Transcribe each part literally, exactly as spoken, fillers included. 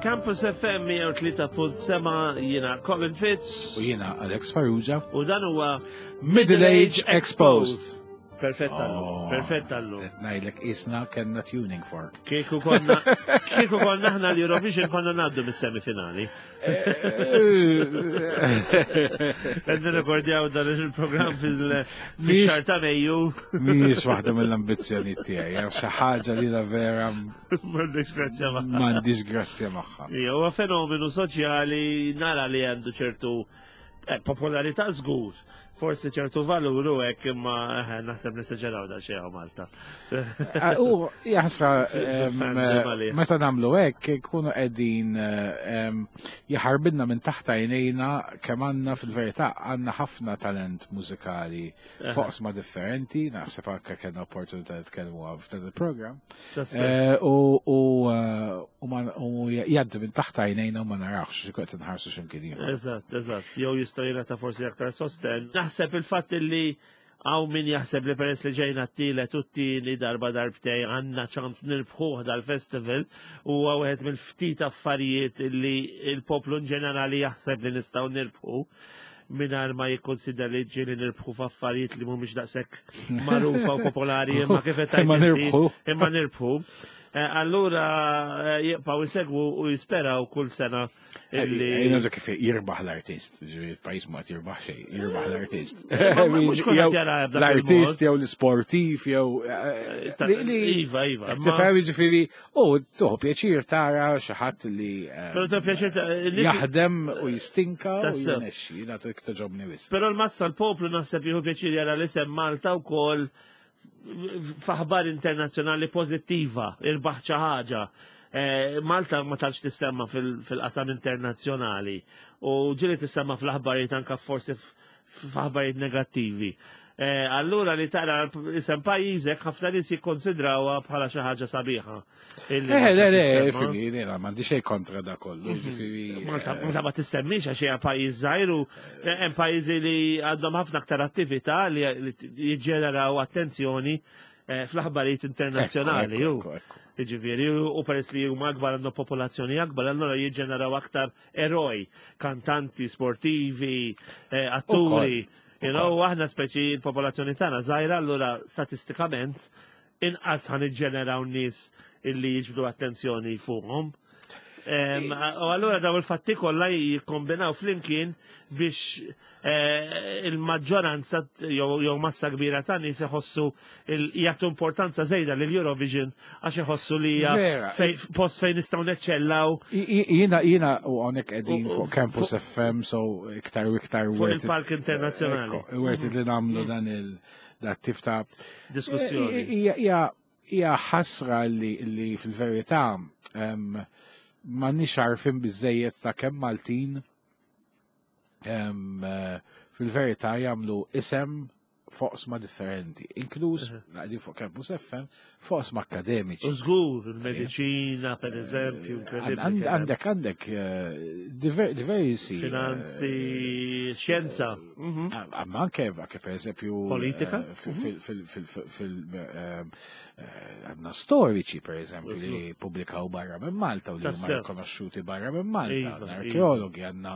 Campus F M mija u tlieta punt sebgħa, jiena Colin Fitz. U jiena Alex Farrugia. U dan huwa Middle Age Exposed. Perfett għallu, Oh. perfett għallu. Ngħidlek isna kellna tuning fork. Kieku konna, kieku konna aħna l-Eurovision, konna ngħaddu mis-semifinali. Qed nirrekordjaw dan il-programm fil-xahar ta' Mejju. Mhijiex waħda mill-ambizzjoni tiegħi, jew xi ħaġa li la vera M'għandix grazzja magħha. M'għandix grazzja magħha. Ija, huwa fenomenu soċjali, nara li għandu ċertu eh, popolarità żgur, forsi ċertu valur u hekk, imma eh, naħseb nesaġeraw da xejn Malta. Ah, u jaħsra em, Fandom għalih. meta nagħmlu hekk ikunu qegħdin em, jaħarbinna minn taħt għajnejna kemm għandna, fil-verità, għandna ħafna talent mużikali f'oqsma differenti, naħseb anke kellna opportunità nitkellmu f'dan il-programm. Eh, U u eh, u ma- u jgħaddi minn taħt għajnejna u ma narawx, xi nħarsu x'imkien ieħor. Eżatt, eżatt. Jew jista' jingħata forsi aktar sosten. Naħseb il-fatt li hawn min jaħseb li peress li ġejna t-tielet u t-tieni darba darbtej għandna ċans nirbħuh dal-festival u wieħed mill-ftit affarijiet li il-poplu in ġenerali jaħseb li nistgħu nirbħu, mingħajr ma jikkonsidra li ġieli nirbħu f'affarijiet li mhumiex daqshekk magħrufa u popolari, imma kif qed Imma tgħid inti, nirbħu. Imma nirbħu. Eh, Allura eh, jibqgħu jsegwu u jisperaw kull sena illi Jena ġa kif jirbaħ l-artist, ġifieri il-pajjiż ma jirbaħ xejn, jirbaħ l-artist. Ma- ma- mhux kulħadd Jew jara b'dak l-artist il-mod. jew l-sportiv jew eh, Ta- li- li- Iva, iva. ma- Tifhem, ġifieri, u tuħu pjaċir tara xi ħadd li eh, Però ta' pjaċir ta' nies- jaħdem u jistinka u Tassew. jirnexxi, jiena togħġobni wisq. Però l-massa, l-poplu, naħseb jieħu pjaċir jara l-isem Malta wkoll f'aħbar internazzjonali pożittiva, irbaħ xi ħaġa. Eh, Malta ma tantx tissemma fil- fil-qasam internazzjonali u ġieli tissemma fl-aħbarijiet anka forsi f- f'aħbarijiet negattivi. Eh, Allura li tara isem pajjiżek, ħafna nies jikkonsidrawha bħala xi ħaġa sabiħa illi Eh, le, le, tissemma. fimi, jiena m'għandi xejn kontra da kollu, ġifieri. Malta, eh, Malta ma tissemmix għax hija pajjiż żgħir u hemm pajjiżi li għandhom ħafna aktar attività li li jiġġeneraw attenzjoni eh, fl-aħbarijiet internazzjonali. Ekku, ju. ekku, ekku. Jiġifieri, u peress li huma akbar, għandhom popolazzjoni akbar, allura jiġġeneraw aktar eroj, kantanti, sportivi, eh, atturi. You know, aħna speċi l-popolazzjoni tagħna żgħira, allura statistikament inqas ħa niġġeneraw nies illi jiġbdu attenzjoni fuqhom. Em, U allura daw il-fatti kollha jikkombinaw flimkien biex eh, il-maġġoranza jew jew massa kbira ta' nies iħossu il- jagħtu importanza żejda lil Eurovision għax iħossu li hija Vera. fej- post fejn nistgħu neċċellaw. I- i- Jiena, jiena, u hawnhekk qegħdin U- u- fuq Campus fuq- F M, so iktar u iktar Fuq worth it- il-Park Internazzjonali. Ekku, worth it li nagħmlu dan il dat tip ta' Diskussjoni. Hija hija hija ħasra li li fil-verità em, m'għandniex għarfien biżejjed ta' kemm Maltin em, eh, fil-verità jagħmlu isem f'oqsma differenti, inkluż qegħdin fuq Campus F M, f'oqsma akademiċi. U żgur, il-mediċina, per eżempju, inkredibbli Għand- kemm. Għandek għandek eh, diver- diversi Finanzi, xjenza. Mhm. eh, Ma anke anke per eżempju Politika? eh, fil fil fil fil fil eh, eh, għandna storiċi, per eżempju, li pubblikaw barra minn Malta u li huma Tassew. rikonoxxuti barra minn Malta, Iva, għandna iva. arkeologi, għandna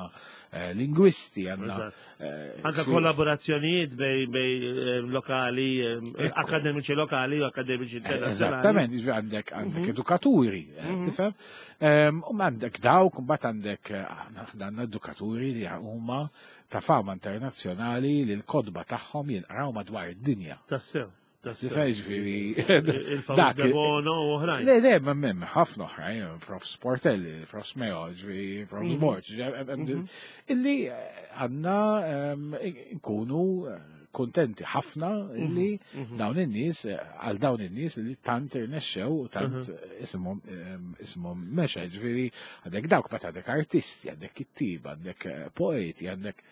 eh, lingwisti, għandna Eżatt. eh, Anka xi- kollaborazzjonijiet bej bej eh, lokali, eh, akademiċi lokali u akademiċi internazzjonali. Eżattament, jiġifieri għandek għandek edukaturi, eh, tifhem? Em, U għandek dawk, mbagħad għandek eh, aħna għandna edukaturi li huma ta' fama internazzjonali li l-kotba tagħhom jinqraw madwar id-dinja. Tassew. Tassew. Tifhem, ġifieri. Il-famuż dak- De Bono u oħrajn. Le, le, ma mem, ħafna oħrajn, Prof Sportelli, Prof Meo, ġifieri, Prof Borg, ġifieri, illi eh, għandna em, nkunu eh, kontenti ħafna illi dawn in-nies, eh, għal dawn in-nies li tant irnexxew u tant isimhom em, isimhom mexa, ġifieri għandek dawk, bat għandek artisti, għandek kittiba, għandek eh, poeti, għandek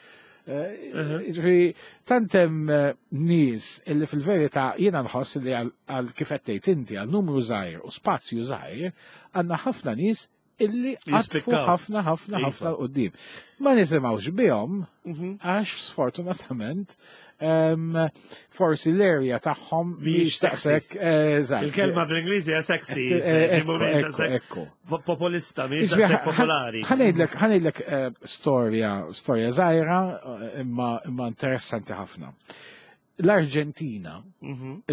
eh, Ġifieri, tant hemm eh, nies illi fil-verità jiena nħoss li għal għal kif qed tgħid inti, għal numru żgħir u spazju żgħir, għandna ħafna nies illi għatfu Jispikkaw. ħafna ħafna Iva. ħafna quddiem. Ma nisimgħux bihom Mhm. għax sfortunatament Forsi l-area tagħhom mhix taqsek. Il-kelma bl-Ingliż hija sexy. Ekku. Populista, mhix daqshekk popolari. Ħa ngħidlek storja, storja żgħira imma interessanti ħafna. L-Arġentina,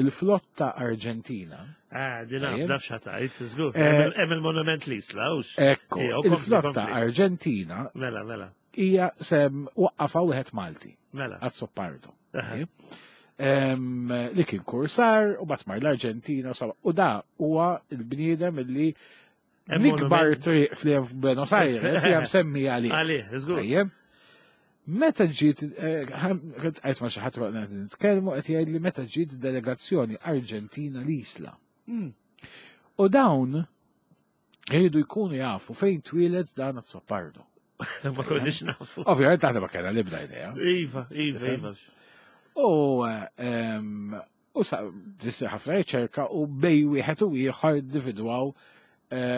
il-flotta Arġentina. Ah, din naf x'ħatajt, żgur. Hemm il-monument l-Isla, hux. Ekku, il-flotta Arġentina. Mela, mela. Hija sem waqqafa wieħed Malti. Mela. Azzopardo. Li kien kursar u bat mar l-Arġentina u da huwa l-bniedem illi l-ikbar triq fl-Buenos Aires hija msemmi għalih. Għalih, żgur. Meta ġiet, għajt ma xi ħadd waqt nitkellmu qed jgħid li meta ġiet delegazzjoni Arġentina l-Isla. U dawn jridu jkunu jafu fejn twieled dan Azzopardo. Ma konniex nafu. Ovvjament aħna ma kellna l-ebda idea. Iva, iva, iva. U u sa ħafna riċerka u bej wieħed u ieħor individwaw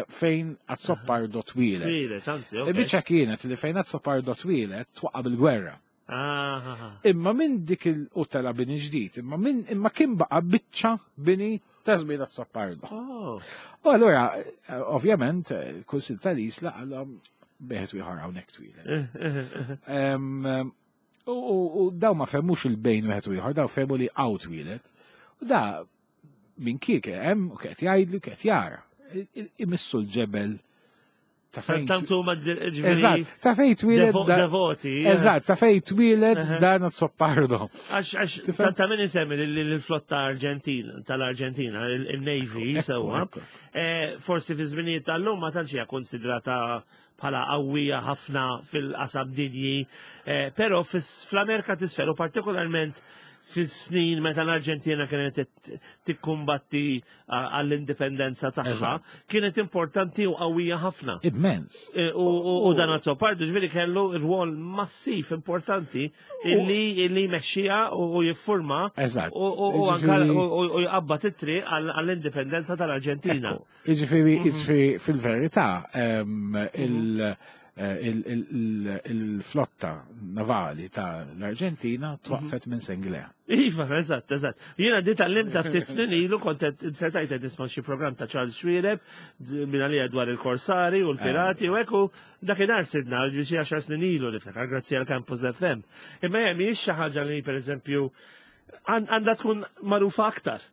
fejn Azzopardo twieled. Twieled, anzi, ok. Il-biċċa kienet li fejn Azzopardo twieled twaqqa' bil-gwerra. Imma minn dik il-utela bini ġdid, imma minn imma kien baqa' biċċa bini ta' żmien Azzopardo. U allura, ovvjament, il-Kunsill tal-Isla għalhom beħet ieħor hawnhekk twieled. U daw ma fehmux il-bejn wieħed u ieħor, daw fehmu li hawn twieled. U da minn kiek hemm u qed jgħidlu qed jara. Imissu l-ġebel ta' fejn. Eżatt, ta' fejn twieled. Devoti. Eżatt, ta' fejn twieled dan Azzopardo. Għax, għax, ta' min isemmi l-flotta Arġentina, tal-Arġentina, il-Navy, sewwa. Forsi fi żminijiet tal-lum ma tantx hija konsidrata bħala qawwija ħafna fil-qasam dinji, però fl-Amerika t'Isfel u partikolarment fis-snin meta l-Arġentina kienet tikkumbatti għall-indipendenza tagħha, kienet importanti u qawwija ħafna. Immens. U dan Azzopardo ġifieri kellu rwol massiv importanti illi jmexxiha u jiffurma u anke u jqabbad it-triq għall-indipendenza tal-Arġentina. Jiġifieri fil-verità il- il-flotta navali tal-Arġentina twaqfet minn Senglea. Iva, eżatt, eżatt. Jiena di tal-lim ta' ftit snin ilu kont insertajt qed nisma' xi programm ta' Charles Xuereb minn għalija dwar il-korsari u l-pirati u hekk u dakinhar sirna xi għaxar snin ilu niftakar grazzi għal Campus F M. Imma hija mhijiex xi ħaġa li pereżempju għandha tkun magħrufa aktar.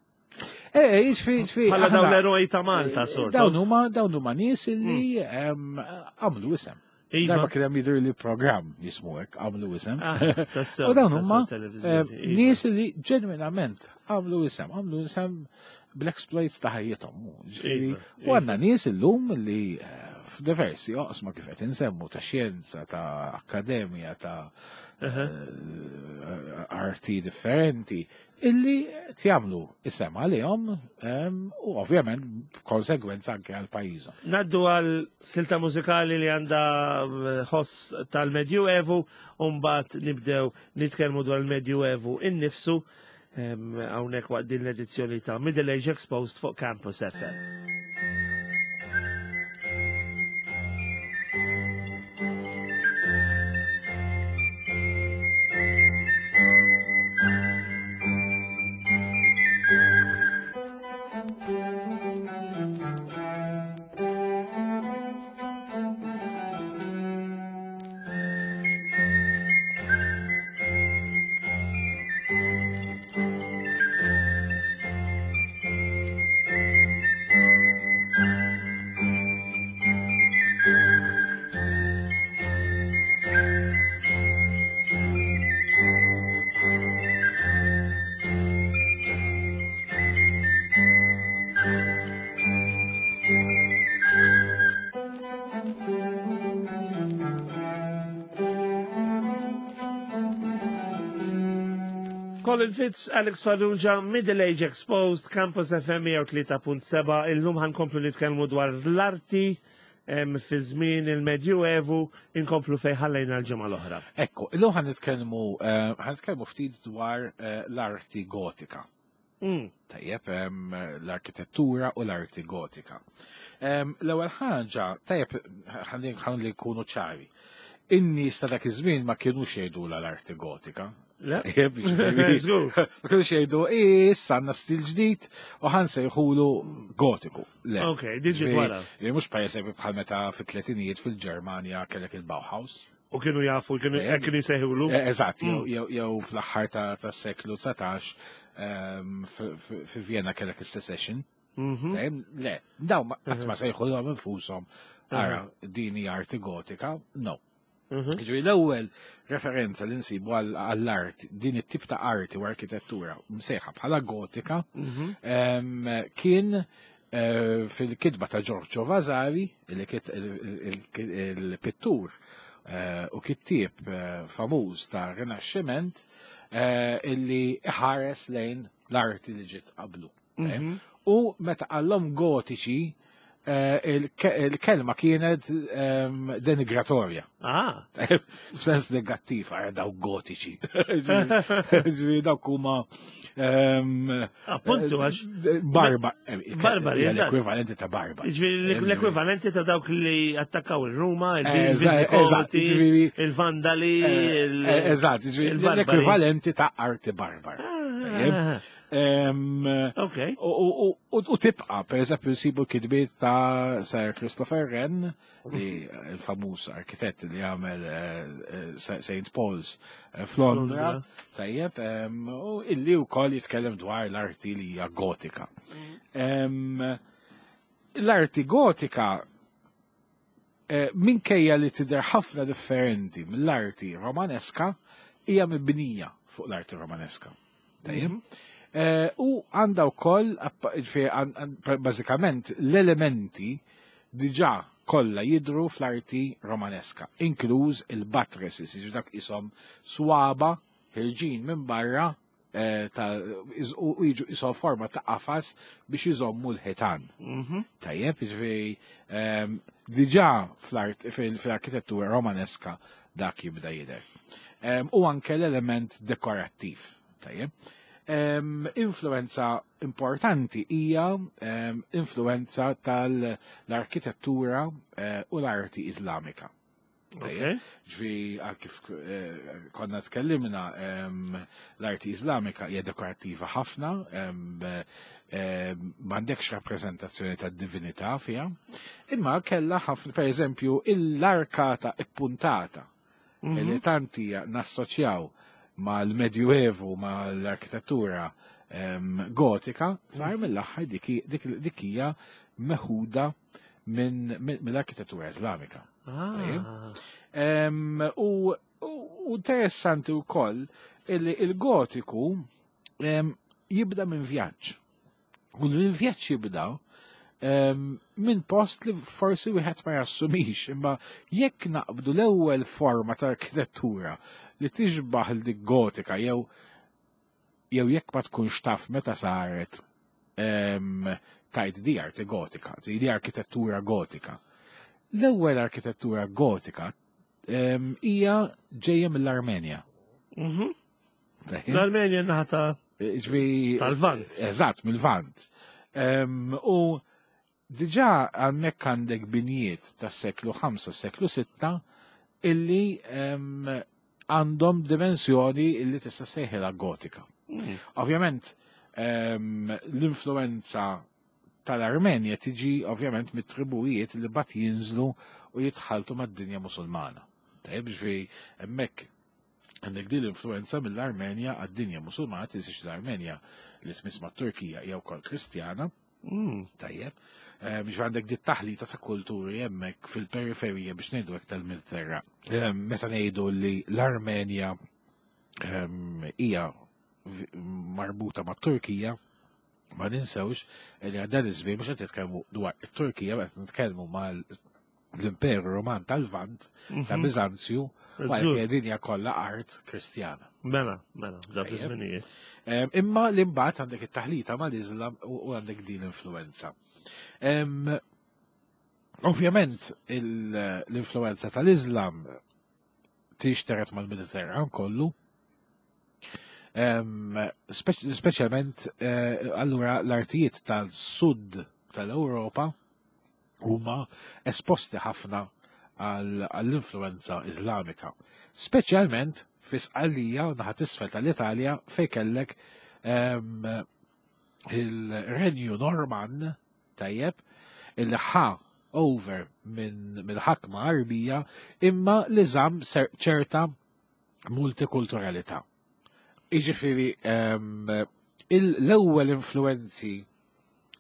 Eh, jiġifieri, jiġifieri. Bħala dawn l-eroj ta' Malta, sort. Dawn huma dawn huma nies illi għamlu isem. Darba kien hemm jidher li programm jismu hekk għamlu isem. U dawn huma nies li ġenwinament għamlu isem, għamlu isem bl-exploits ta' ħajjithom. U għandna nies illum li f'diversi oqsma kif qed insemmu ta' xjenza, ta' akkademja, ta' arti differenti, illi tjamlu isem għalihom u ovvjament konsegwenza anke għal pajjiżhom. Naddu għal silta mużikali li għandha ħoss tal-Medjuevu u mbagħad nibdew nitkellmu dwar il-Medjuevu innifsu hawnhekk waqt din l-edizzjoni ta' Middle Age Exposed fuq Campus F M. Colin Fitz, Alex Farrugia, Middle Age Exposed, Campus F M mija u tlieta punt seba'. Illum ħankomplu nitkellmu dwar l-arti fi żmien il-Medjuevu, inkomplu fejn ħallejna l-ġimgħa l-oħra. Ekku, illum ħanitkellmu ħanitkellmu ftit dwar l-arti gotika. Tajjeb, l-arkitettura u l-arti gotika. L-ewwel ħaġa, tajjeb ħalli nkunu ċari. In-nies ta' dak iż-żmien ma kinux jgħidulha l-arti gotika. Le? Ġifieri, Żgur. Ma kienux jgħidu, issa għandna stil ġdid u ħa nsejħulu gotiku. Le. Ok, diġi wara. Ġifieri, mhux per eżempju bħal meta fit-tletinijiet fil-Ġermanja kellek il-Bauhaus. U kienu jafu, kienu Eh, kienu jsejħulu. Eh, Eżatt, jew- Mm. jew jew fl-aħħar ta' tas-seklu dsatax ehm, fi- fi fi Vienna kellek is-Secession. Mhm. Dejjem, le, daw ma qatt ma sejħulhom infushom ara din hija arti gotika, no. Mhm. Ġifieri l-ewwel referenza li nsibu għall- għall-art, din it-tip ta' arti u arkitettura msejħa bħala gotika, Mhm. em, kien eh, fil-kitba ta' Giorgio Vasari, il- il- il- il-pittur eh, u kittieb eh, famuż ta' Rinaxximent, eh, illi ħares lejn l-arti li ġiet qablu. Mhm. U meta qallhom gotiċi, eh, il-ke- il-kelma kienet ehm, denigratorja. Ah. F'sens negattiv, għara daw gotiċi. Ġifieri dawk huma ehm, Appuntu, għax. Barba. Barbari, eżatt. L-ekwivalenti ta' barba. Ġifieri l-ekwivalenti ta' dawk li attakkaw il-Ruma, Eżatt, eżatt, il-Visigoti, ġifieri- il-Vandali, il- Eh, Eżatt, ġifieri il-barbari. l-ekwivalenti ta' arti barbar. Tajjeb. Ah, Ehm, Ok. U, u, u, u tibqa, per eżempju, nsibu kitbiet ta' Sir Christopher Wren, li il-famuż arkitett li għamel eh, eh, Saint Paul's eh, f'Londra, Londra. tajjeb, em, u illi wkoll jitkellem dwar l-arti li hija gotika. Em, L-arti gotika eh, minkejja li tidher ħafna differenti mill-arti romaneska, hija mibnija fuq l-arti romaneska. Tajjeb? Eh, U għandha wkoll, app- ġifieri, għan- għan- bażikament l-elementi diġà kollha jidru fl-arti romaneska, inkluż il-buttresses, jiġu dak isom swaba ħirġin minn barra eh, ta' iz- u u jiġu isom forma ta' qafas biex iżommu l-ħitan. Mhm. Tajjeb, jiġifieri ehm, diġà fl-art- fil- fil-arkitettura romaneska dak jibda jidher. Ehm, U anke l-element dekorattiv. Tajjeb. Ehm, Influenza importanti hija ehm, influenza tal-arkitettura eh, u l-arti Islamika. Tajjeb. Ok. Ġifieri, għal kif eh, konna tkellimna, em, l-arti Islamika hija dekorattiva ħafna, em, em, m'għandekx rappreżentazzjoni ta' divinità fiha, imma kellha ħafna, per eżempju, l-arkata ippuntata Mhm. li tanti nassoċjaw mal-Medjuevu, mal-arkitettura em, gotika, far mill-aħħar dik dik- dik hija meħuda minn minn- mill-arkitettura Islamika. Ah. Em, U u interessanti wkoll illi il-gotiku em, jibda minn vjaġġ. U l-vjaġġ jibda em, minn post li forsi wieħed ma jassumix, imma jekk naqbdu l-ewwel forma ta' arkitettura li tixbaħ l dik gotika jew jew jekk ma tkunx taf meta saret em, tajt di arti gotika, di arkitettura gotika. L-ewwel arkitettura gotika em, hija ġejja mill-Armenja. Mhm. Tajjeb? L-Armenja naħa ta' Ġifieri- tal-Vant. Eżatt, mill-Vant. Em, U diġà hemmhekk għandek binjiet tas seklu ħamsa, seklu sitta, illi em, għandhom dimensjoni illi tista' sejħilha gotika. Mm. Ovvjament, em, l-influenza tal-Armenja tiġi ovvjament mit-tribujiet li bat jinżlu u jitħaltu mad-dinja musulmana. Tajjeb, ġifieri hemmhekk għandek din l-influenza mill-Armenja għad-dinja musulmana, tinsiex l-Armenja li tmiss mat-Turkija hija wkoll Kristjana, Mm. tajjeb. Eh, Biex għandek dit taħlita ta' kulturi hemmhekk fil-periferija biex ngħidu hekk tal-Mediterran. Eh, Meta ngħidu li l-Armenja ehm, hija v- marbuta mat Turkija, ma ninsewx li għal dan iż-żmien mhux qed nitkellmu dwar it-Turkija, qed nitkellmu mal l-Imperu Roman tal-Vant ta' Mhm. Biżanzju, Żgur. għalhekk dinja kollha art Kristjana. Mela, mela, dak Tajjeb. iż-żminijiet. Em, Imma l-imbagħad għandek it-taħlita mal-Islam u u għandek din l-influenza. Em, Ovvjament il- l-influenza tal-Islam tixteret mal-Mediterran kollu. Em, speċ- Speċjalment eh, allura l-artijiet tal-sud tal-Ewropa huma esposti ħafna għall-influenza Iżlamika. Speċjalment fi Sqallija u naħa t'isfel tal-Italja fejn kellek ehm, il-Renju Norman, tajjeb, illi ħa over minn mill-ħakma Arbija imma li żamm ser- ċerta multikulturalità. Iġifieri ehm, il- l-ewwel influenzi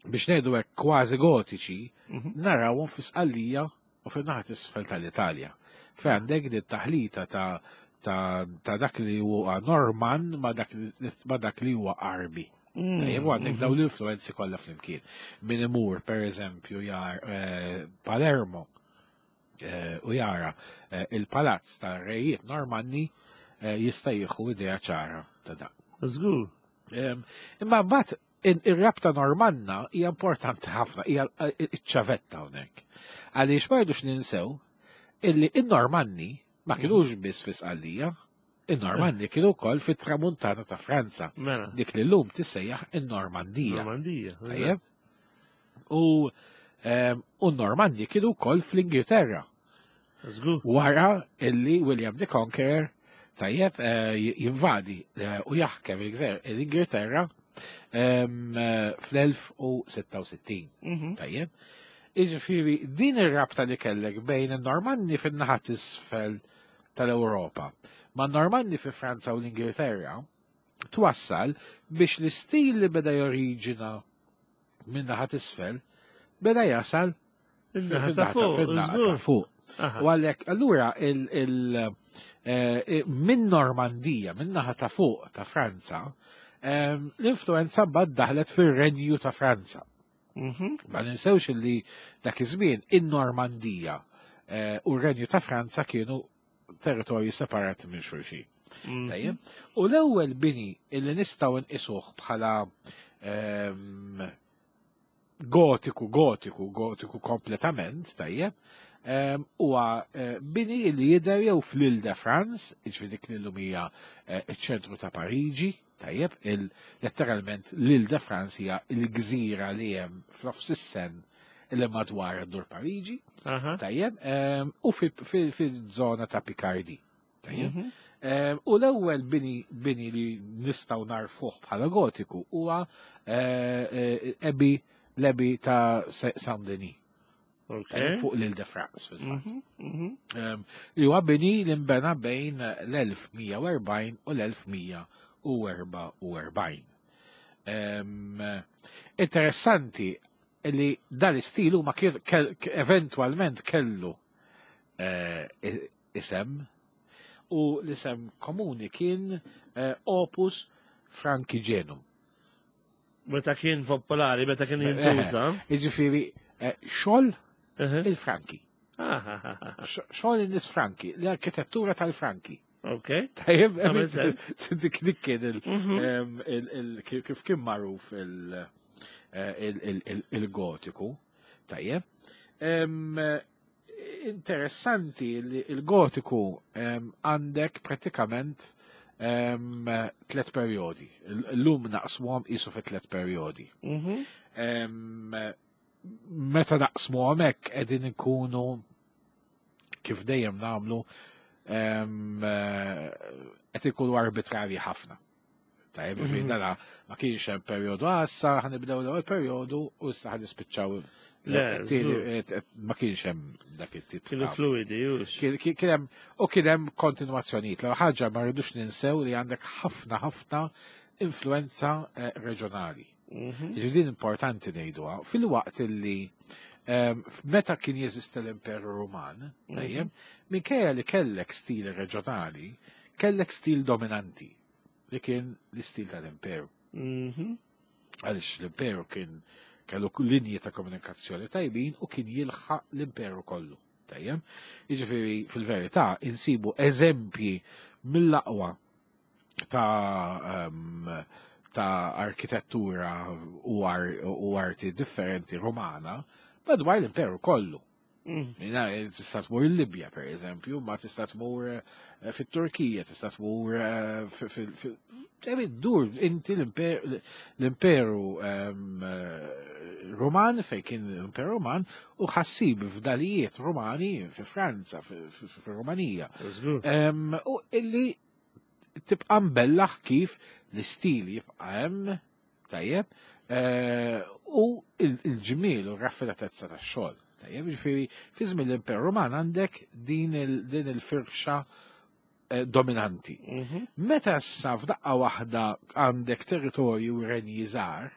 biex ngħidu hekk kważi gotiċi Mhm. narawhom fi Sqallija u fin-naħa t'isfel tal-Italja. Fejn għandek din taħlita ta' ta' ta' dak li huwa Norman ma' dak li ma' dak li huwa Arbi. Mm. Tajjeb, u għandek dawn l-influenzi kollha flimkien. Min imur, per eżempju, jar eh, Palermo eh, u jara eh, il-palazz ta' rejiet Normanni eh, jista' jieħu idea ċara ta' dak. Żgur. Em, Imma mbagħad in- ir-rabta Normanna hija importanti ħafna, hija iċ-ċavetta hawnhekk. Għaliex ma rridux ninsew illi in-Normanni ma kinux biss fi Sqallija, in-Normanni kienu wkoll fit-tramuntana ta' Franza, Mela. dik li llum tissejjaħ in-Normandija. Normandija. Tajjeb? U em, u n-Normanni kienu wkoll fl-Ingilterra. Żgur. Wara illi William the Conqueror tajjeb eh, jinvadi eh, u jaħkem il-gżer- l-Ingilterra em, eh, fl-elf u sitta u sittin. Mhm. Tajjeb. Iġifieri, din ir-rabta li kellek bejn in-Normanni fin-naħa t'isfel tal-Ewropa ma' Normanni fi Franza u l-Ingilterra twassal biex l-istil li beda joriġina minn naħa t'isfel beda jasal In-naħa ta' fuq, fin-naħa ta' żgur. fuq. Aha. U għalhekk, allura, il, il, eh, minn Normandija, minn naħa ta' fuq ta' Franza, em, l-influenza mbagħad daħlet fir-Renju ta' Franza. Mhm. Ma ninsewx li dak iż-żmien in-Normandija eh, u r-Renju ta' Franza kienu territorji separati minn xulxin. Mhm. Tajjeb. U l-ewwel bini illi nistgħu nqisuh bħala ehm, gotiku, gotiku, gotiku kompletament, tajjeb, ehm, huwa eh, bini li jidher jew fl-Ile de France, jiġifieri dik li llum hija eh, iċ-ċentru ta' Pariġi, tajjeb, il letteralment l-Ile de France hija l-gżira li hemm f'nofs is-Seine li madwar id-dur Pariġi, Aha. tajjeb, ehm, u fil-żona ta' Picardy. Tajjeb. Mhm. Ehm, U l-ewwel bini bini li nistgħu narfuh bħala gotiku huwa eh, eh, Abbey l-Abbey ta' Saint-Denis, Ok. tajjeb, fuq l-Ile de France fil-fatt. Mhm. Mhm. Ehm, Li huwa bini li nbena bejn l-elf u mija u erbgħin u l-elf u mija u erbgħa u erbgħin. Ehm, Interessanti li dan l-istil huma kien kell- eventwalment kellu eh, isem u l-isem komuni kien eh, Opus Francigenum. Meta kien popolari, meta kien jintuża. Jiġifieri eh, xogħol Ehe. il-Franki. Ah, ah, ah, ah. Xogħol in-nies Franki, l-arkitettura tal-Franki. Ok. Tajjeb, Għamel sens. dik dik kien il- Mhm. em, il- il- kif kif kien magħruf il- eh, il- il- il- il-gotiku. Tajjeb. Em, Interessanti li il-gotiku em, għandek pratikament em, tlet perjodi. L-lum naqsmuhom qisu fi tlet perjodi. Mhm. Em, Meta naqsmuhom hekk qegħdin ikunu kif dejjem nagħmlu em, eh, qed ikunu arbitrarji ħafna. Tajjeb, mm Mhm. dana ma kienx hemm perjodu għassa, ħa nibdew l-ewwel perjodu u issa ħa nispiċċaw Le, it-tieni, eh, ma kienx hemm dak it-tip Kienu ta' fluidi, jux. Kien kien hemm u kien hemm kontinwazzjonijiet. L ħaġa ma rridux ninsew li għandek ħafna ħafna influenza eh, reġjonali. Mhm. Jiġifieri din importanti ngħiduha. Fil-waqt illi em, meta kien jeżisti l-Imperu Ruman, tajjeb, minkejja li kellek stil reġjonali, kellek stil dominanti li kien l-istil tal-Imperu. Mhm. Għaliex l-Imperu kien kellu linji ta' komunikazzjoni tajbin u kien jilħaq l-Imperu kollu. Tajjeb? Jiġifieri fil-verità insibu eżempji mill-aqwa ta' um, ta' arkitettura u, ar, u arti differenti romana madwar l-imperu kollu. Mm. Jina, tista' tmur il-Libja, per eżempju, ma tista' tmur eh, fit-Turkija, tista' tmur eh, fil- fil- dur inti l-imperu ehm, eh, Roman, fej kien l-imperu Roman, u ħa ssib fdalijiet Romani fi Franza, fi Romanija. Ehm, u illi tibqa' mbellaħ kif l-istil jibqa' hemm, tajjeb, eh, u il-ġmiel u r-raffinatezza tax-xogħol. Tajjeb, ġifieri fi żmien l-Imperu Roman għandek din il-firxa eh, dominanti. Mhm. Meta issa f'daqqa waħda għandek territorju u renji żgħar,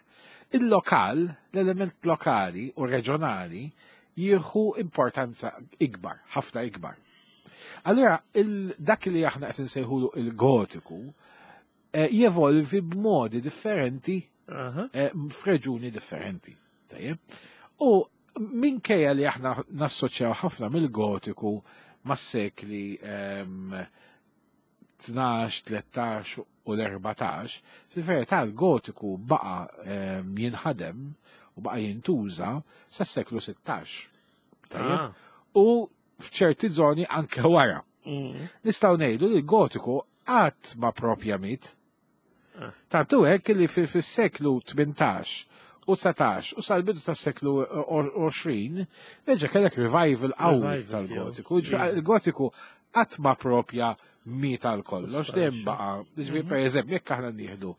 il-lokal, l-element lokali u reġjonali jieħu importanza ikbar, ħafna ikbar. Allura, dak li aħna qed insejħulu il-gotiku eh, jevolvi b'modi differenti eh, f'reġuni differenti. Tajjeb? U minkejja li aħna nassoċjaw ħafna mill-gotiku mas-sekli tnax, tlettax u l-erbatax, fil-verità l-gotiku baqa jinħadem u baqa jintuża sa-seklu sittax. Tajjeb? Ah. U f'ċerti zoni anke wara. Mm. Nistgħu ngħidu li l-gotiku qatt ma propja miet. Ah. Tantu hekk li fis-seklu tmintax u dsatax u sal-bidu tas-seklu għoxrin reġa' kellek revival qawwi Revival tal-gotiku. tiegħu. Il-gotiku qatt ma propja miet għal kollox, dejjem baqa'. Ġifieri Mhm. per eżempju, jekk aħna nieħdu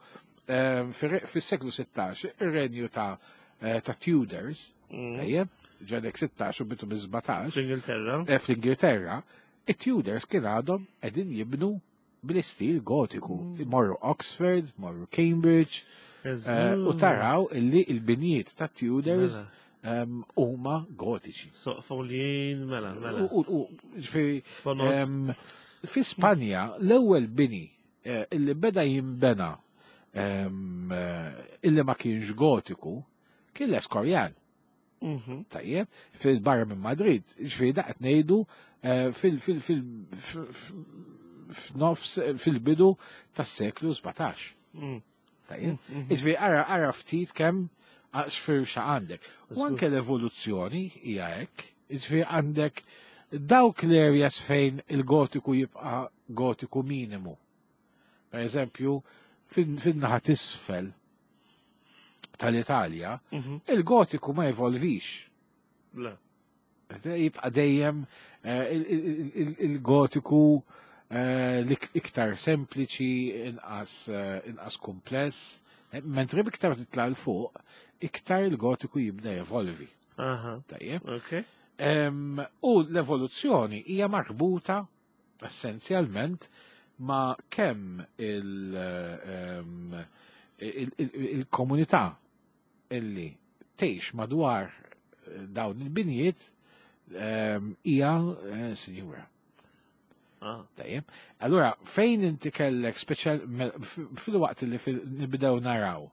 ehm, fis-seklu sittax ir-renju ta' eh, ta' Tudors, Mm. tajjeb, ġedek sittax u bidu bi-sbatax, Fl-Ingilterra. eh, fl-Ingilterra, it-Tudors kien għadhom qegħdin jibnu bl-istil gotiku. Mm. Morru Oxford, morru Cambridge, eh, u taraw illi il-binjiet ta' Tudors Mela. em, huma gotiċi. Soqfoljin, mela, mela. U, u, ġifieri, Bonot. em, fi Spanja l-ewwel bini eh, illi beda jimbena em, eh, illi ma kienx gotiku kien l-Escorial. Mhm. Tajjeb, fil-barra minn Madrid, ġifieri da qed ngħidu eh, fil- fil- fil- f- f- f'nofs fil-bidu tas-seklu sbatax. Mm. Tajjeb, Mhm. ġifieri ara ara ftit kemm għax firxa għandek. U anke l-evoluzzjoni hija hekk, ġifieri għandek dawk l-areas fejn il-gotiku jibqa' gotiku minimu. Per eżempju, fin-naħa t'isfel tal-Italja, Mhm. il-gotiku ma evolvix. Le. Jibqa dejjem eh, il- il- il- il-gotiku eh, l-iktar sempliċi, inqas eh, inqas kompless, Eh, mentri iktar titla' 'l fuq, iktar il-gotiku jibda jevolvi. Aha. Tajjeb. Ok. Em, U l-evoluzzjoni hija marbuta essenzjalment ma' kemm il- em, il- il- il-komunità illi tgħix madwar eh, dawn il-binjiet em, hija eh, sinjura. Ah. Tajjeb. Allura, fejn inti kellek speċjal me- f- fil-waqt li fil- nibdew naraw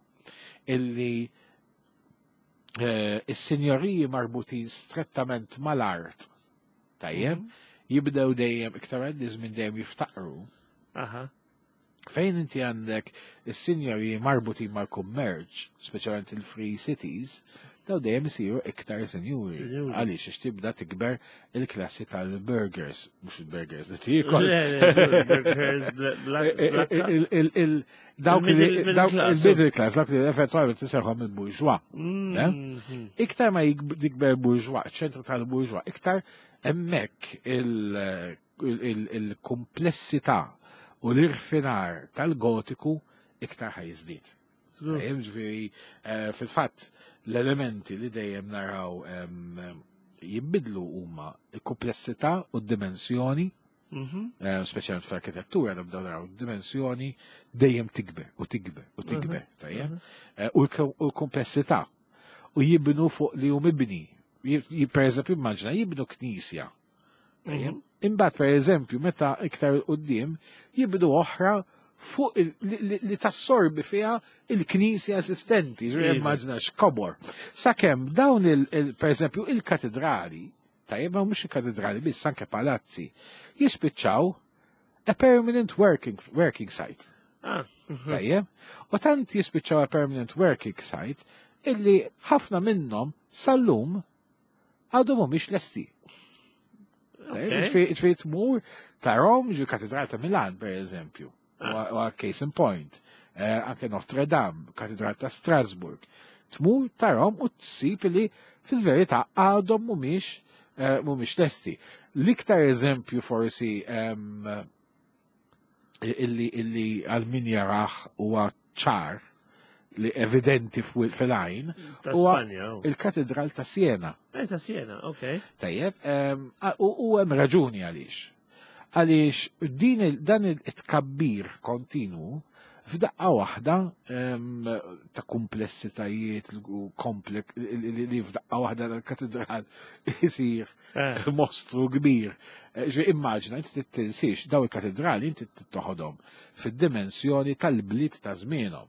illi eh, is-sinjoriji marbutin strettament mal-art, tajjeb, Mhm. jibdew dejjem iktar għaddi żmien dejjem jiftaqru. Aha. Fejn inti għandek is-sinjoriji marbutin mal-kummerċ, speċjalment il-free cities, daw dejjem isiru iktar sinjuri. Sinjuri. Għaliex għax tibda tikber il-klassi tal-burgers, mhux il-burgers li tiekol. Le, le, burgers, bla- bla- Il- black. il- il- il- Dawk li Il-middle- dawk middle class. il-middle class, dawk li effettivament tisejħhom il-bourgeois. Mhm. Iktar ma jikb- jikber bourgeois, ċentru tal-bourgeois, iktar hemmhekk il- il- il-komplessità u l-irfinar tal-gotiku iktar ħa jiżdied. Żgur. Tajjeb, ġifieri, eh, fil-fatt l-elementi li dejjem naraw em, jibbidlu huma il-komplessità u d-dimensjoni, Mhm. eh, speċjalment fl-arkitettura nibdew naraw dimensjoni dejjem tikber u tikber u tikber, tajjeb? Mhm. Eh, U l- u l-komplessità. U jibnu fuq li hu mibni. Ji- ji- Per eżempju, immaġina jibnu knisja. Tajjeb? Mhm. Imbagħad per eżempju, meta iktar 'il quddiem jibnu oħra fuq il- li, li, li tassorbi fiha il-knisja esistenti, ġifieri Iva. immaġina x'kobor. Sakemm dawn il, il per eżempju il-katedrali, tajjeb ma mhux il-katedrali biss anke palazzi, jispiċċaw a permanent working, working site. Ah. Mhm. Tajjeb? U tant jispiċċaw a permanent working site illi ħafna minnhom sal-lum għadhom mhumiex lesti. Ġifieri tmur tarahom, ġifieri Katedral ta' Milan, per eżempju, u case in point, anke Notre Dame, Katedral ta' Strasburg. Tmur tarahom u tsib li fil-verità għadhom mhumiex mhumiex lesti. L-iktar eżempju forsi illi illi għal min jarah huwa ċar li evidenti fil-għajn huwa il-Katedral ta' Siena. Eh, ta' Siena, ok. Tajjeb, u hemm raġuni għaliex. Għaliex din dan it-tkabbir kontinu f'daqqa waħda ta' komplessitajiet u komplek li f'daqqa waħda l-katedral isir mostru kbir. Ġifieri immaġina, inti tinsiex daw il-katedrali inti toħodhom fid-dimensjoni tal-bliet ta' żmienhom.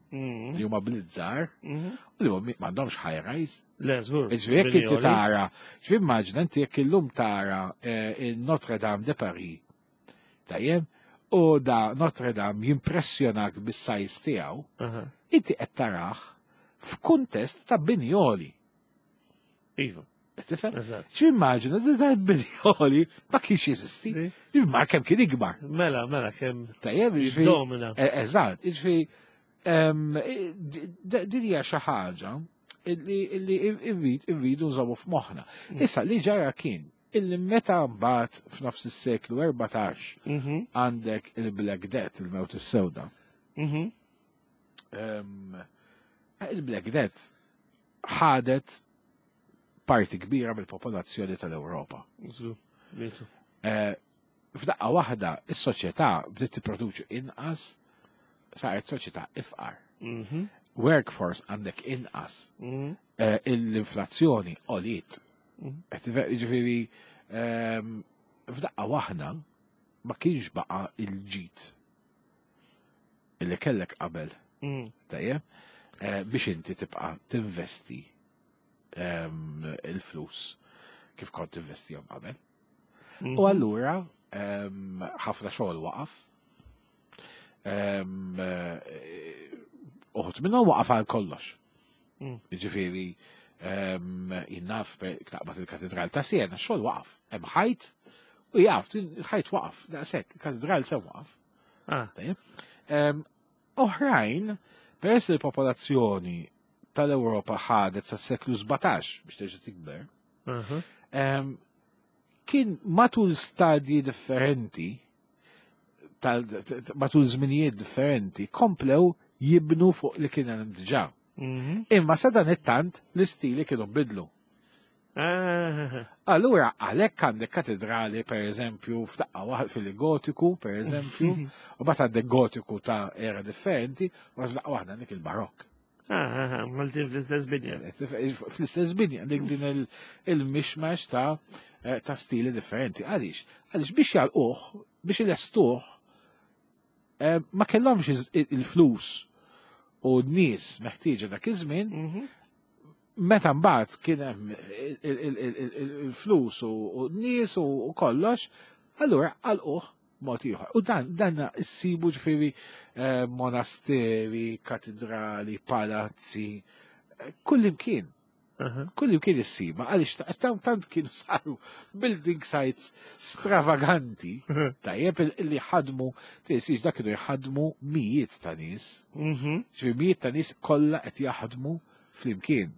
Li huma bliet żgħar u li m'għandhomx high rise. Le, żgur. Ġifieri jekk inti tara, ġifieri immaġina inti jekk illum tara il-Notre Dame de Paris. Tajjeb, u da Notre Dame jimpressjonak bis-size tiegħu, inti qed tarah f'kuntest ta' bini għoli. Iva. Tifhem? X'immaġina li dan bini għoli ma kienx jeżisti. Imma kemm kien ikbar. Mela, mela kemm. Tajjeb, jiġifieri. Domina. Eżatt, jiġifieri din hija xi ħaġa illi irridu nżommu f'moħħna. Issa li ġara kien illi meta mbagħad f'nofs is-seklu erbatax għandek il-Black Death, il-mewt is-sewda. Il-Black Death ħadet parti kbira mill-popolazzjoni tal-Ewropa. F'daqqa waħda is-soċjetà bdiet tipproduċi inqas, saret soċjetà ifqar. Workforce għandek inqas. L-inflazzjoni għoliet. Ġifieri f'daqqa waħda ma kienx baqa il-ġid illi kellek qabel. Tajjeb, biex inti tibqa' tinvesti il-flus kif kont tinvestihom qabel. U allura ħafna xogħol waqaf. Uħud minnhom waqaf għal kollox. Ġifieri jinnaf taqbad il-Katedral ta' Siena, xogħol waqaf. Hemm ħajt u jaf, il-ħajt waqaf, daqshekk, il-katedral se waqaf. Oħrajn, peress li l-popolazzjoni tal-Ewropa ħadet sa seklu sbatax biex terġa' tikber, kien matul stadji differenti, matul żminijiet differenti, komplew jibnu fuq li kien hemm diġà. Imma sa dan it-tant l-istili kienu bidlu. Allura, għalhekk għandek katedrali, per eżempju, f'daqqa waħda fil-gotiku, per eżempju, u mbagħad għandek gotiku ta' era differenti, u f'daqqa waħda għandek il-barokk. Maltin fl-istess binja. Fl-istess binja, għandek din il-mishmash ta' ta' stili differenti. Għaliex? Għaliex biex jagħlquh, biex ilestuh, ma kellhomx il-flus u n-nies meħtieġa dak iż-żmien, meta mbagħad kien hemm il-flus u n-nies u kollox, allura għalquh mod ieħor. U dan dan issibu ġifieri monasteri, katedrali, palazzi, kullimkien. Kullimkien issiba, għaliex tant kienu saru building sites stravaganti, tajjeb li ħadmu, tisix dak kienu jħadmu mijiet ta' nies. Ġifieri mijiet ta' nies kollha qed jaħdmu flimkien.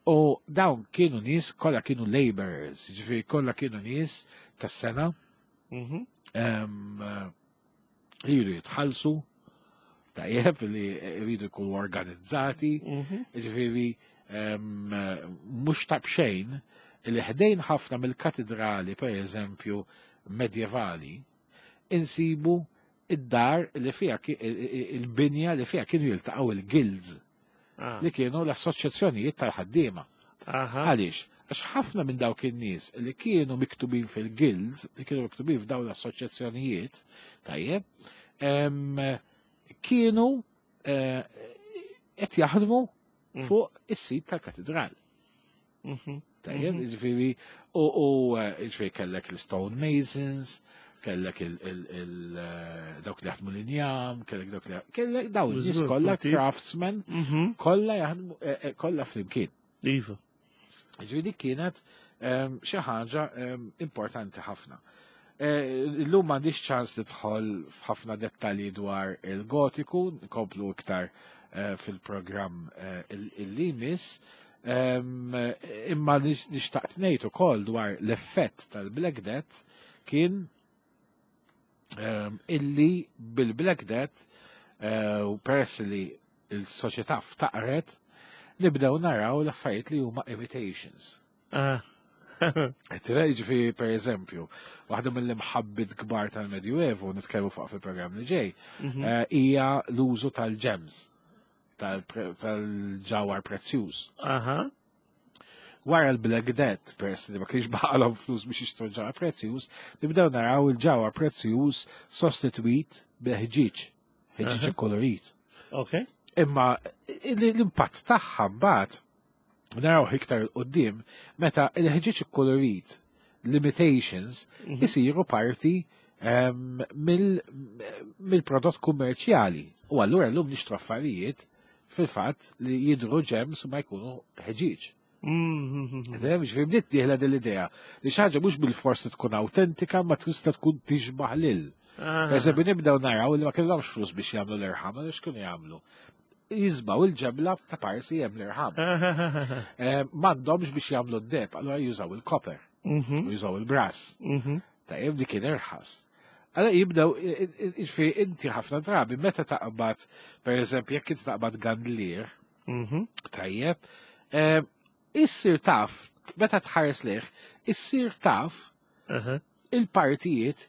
U dawn kienu nies kollha kienu laborers, ġifieri kollha kienu nies tas-sena. Jridu jitħallsu, tajjeb li jridu jkunu organizzati, ġifieri mhux ta' bxejn li ħdejn ħafna mill-katedrali, per eżempju, medjevali, insibu id-dar li fiha il-binja li fiha kienu jiltaqgħu il-guilds, li kienu l-assoċjazzjonijiet tal-ħaddiema. Għaliex? Għax ħafna minn dawk in-nies li kienu miktubin fil-guilds, li kienu miktubin f'dawn l-assoċjazzjonijiet, tajjeb, kienu qed jaħdmu fuq is-sit tal-katedral. Tajjeb, ġifieri, u ġifieri kellek l-stone masons, kellek dawk li jaħdmu l-injam, kellek dawk li kellek dawn nies kollha craftsmen, kollha jaħdmu kollha flimkien. Iva. Ġifieri dik kienet xi ħaġa importanti ħafna. Illum m'għandix ċans nidħol f'ħafna dettalji dwar il-Gotiku, nkomplu iktar fil-programm illi jmiss. Imma nixtaqt ngħid ukoll dwar l-effett tal-Black Death kien illi bil-Black Death, u peress li il-soċjetà ftaqret, nibdew naraw l-affarijiet li huma imitations. Ġifieri, per eżempju, waħda mill-imħabbit kbar tal-Medjuevu, nitkellmu fuq fil-programm li ġej, hija l-użu tal-gems, tal-ġawhar prezzjuż. Wara l-Black Death, peress li ma kienx baqalhom flus biex jixtru ġawhar prezzjuż, nibdew naraw il-ġawhar prezzjuż sostitwit bil-ħġieġ, ħġieġ ikkolorit. Imma l-impatt tagħha mbagħad naraw iktar 'il quddiem meta il-ħġieġ ikkolorit, l-imitations, isiru parti mill-prodott kummerċjali. U allura llum nixtru affarijiet fil-fatt li jidru gems u ma jkunu ħġieġ. Ġifieri bdiet dieħla din l-idea li xi ħaġa mhux bil-forsi tkun autentika ma tista' tkun tixbaħ lil. Eżempju, nibdew naraw li ma kellhomx flus biex jagħmlu l-irħam, għaliex kienu jagħmlu? Jiżbgħu il-ġebla ta' parsi hemm l-irħam. M'għandhomx biex jagħmlu d-deheb, allura jużaw il-copper, u jużaw il-brass. Tajjeb, dik kien irħas. Allora jibdew, ġifieri inti ħafna drabi meta taqbad, per eżempju, jekk inti taqbad gandlier, tajjeb, issir taf, meta tħares lejh, issir taf il-partijiet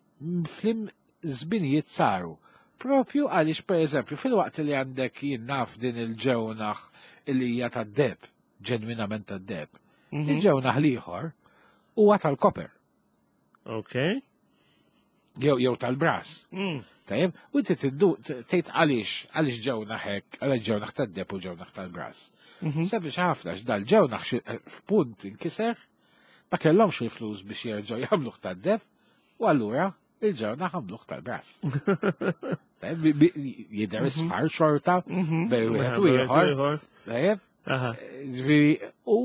f'liema żminijiet saru. Propju għaliex, per eżempju, fil-waqt li għandek jien naf din il-ġewnaħ li hija tad-deheb, ġenwinament tad-deheb, il-ġewnaħ l-ieħor huwa tal-copper. Ok. Jew jew tal-brass. Tajjeb, u inti tgħid għaliex, għaliex ġewnaħ hekk, għaliex ġewnaħ tad-deheb u ġewnaħ tal-brass. Sempliċi ħafna, dal-ġewnaħ f'punt inkiser, ma kellhomx il-flus biex jerġgħu jagħmluh tad-deheb, u allura il-ġewnaħ għamluh tal-brass. Jidher isfar xorta, bejn wieħed u ieħor. Tajjeb? Ġifieri, u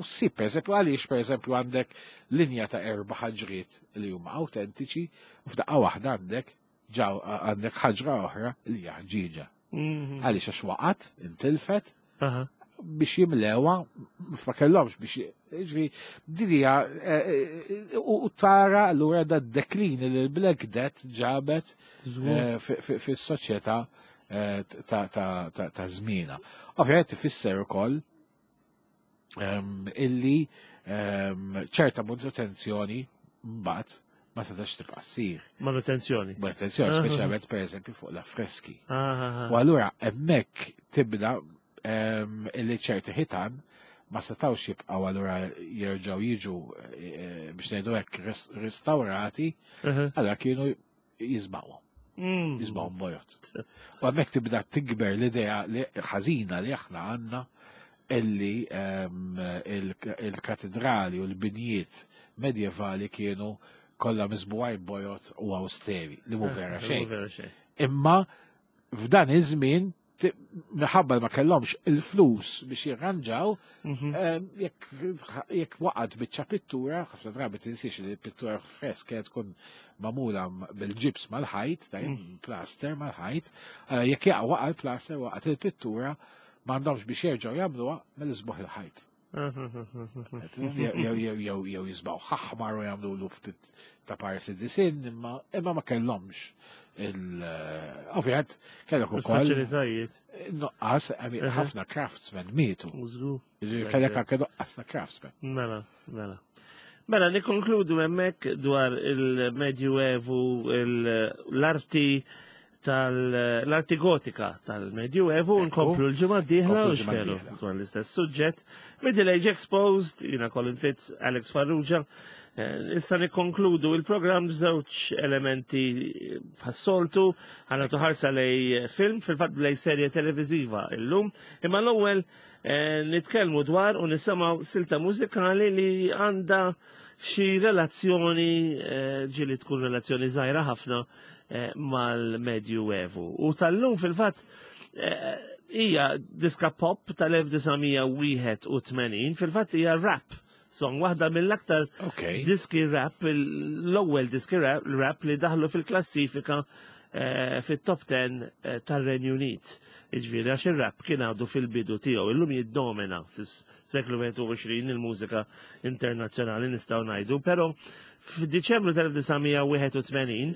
ssib, per eżempju, għaliex, per eżempju, għandek linja ta' erba' ħaġriet li huma autentiċi, u f'daqqa waħda għandek ġaw għandek ħaġra oħra li hija ħġieġa. Għaliex għax waqgħet, intilfet, biex jimlewa, ma kellhomx biex, ġifieri, din hija, u tara allura da deklin li l-Black Death ġabet fis-soċjetà ta' żmienha. Ovvjament tifisser ukoll illi ċerta manutenzjoni mbagħad ma setax tibqa' ssir. Manutenzjoni. Manutenzjoni, speċjalment per eżempju fuq l-affreski. U allura hemmhekk tibda illi ċerti ħitan ma setawx jibqgħu allura jerġgħu jiġu biex ngħidu hekk restaurati, allura kienu jiżbgħuhom. Jiżbgħuhom bojod. U hemmhekk tibda tikber l-idea li ħażina li aħna għandna illi il-katedrali u l-binjiet medjevali kienu kollha miżbugħin bojod u austeri, li mhu vera xejn. Imma f'dan iż-żmien minħabba ma kellhomx il-flus biex jirranġaw, jekk waqgħet biċċa pittura, ħafna drabi tinsiex li pittura fresk kienet tkun magħmula bil-ġibs mal-ħajt, tajjeb, plaster mal-ħajt, jekk jaqa' waqa' l-plaster, waqgħet il-pittura, m'għandhomx biex jerġgħu jagħmluha mill-isbuħ il-ħajt. Jew jiżbgħu aħmar u jagħmlu lu ftit ta' parsi disinn, imma imma ma kellhomx il ovvjament kellek ukoll Faċilitajiet. Nuqqas, ħafna craftsmen mietu. Kellek anke nuqqas ta' craftsmen. Mela, mela. Mela, nikkonkludu hemmhekk dwar il-Medjuevu, l-arti tal-arti gotika tal-Medjuevu, nkomplu l-ġimgħa d-dieħla u xferu dwar l-istess suġġett. Middle Age Exposed, jiena Colin Fitz, Alex Farrugia. Issa nikkonkludu il-programm b'żewġ elementi bħas-soltu, ħa nagħtu ħarsa lej film, fil-fatt lej serje televiżiva illum, imma l-ewwel nitkellmu dwar u nisimgħu silta mużikali li għandha xi relazzjoni, ġieli tkun relazzjoni żgħira ħafna mal-Medjuevu. U tal-lum fil-fatt hija diska pop tal-elf disa' mija wieħed u tmenin, fil-fatt hija rap song, waħda mill-aktar Okay. diski rap, l-ewwel diski rap, rap li daħlu fil-klassifika eh, fit-top ten eh, tar-Renju Unit. Iġifieri, għax ir-rap kien għadu fil-bidu tiegħu, illum jiddomina fis-seklu wieħed u għoxrin il-mużika internazzjonali, nistgħu ngħidu, però f'Diċembru tal-elf disa' mija wieħed u tmenin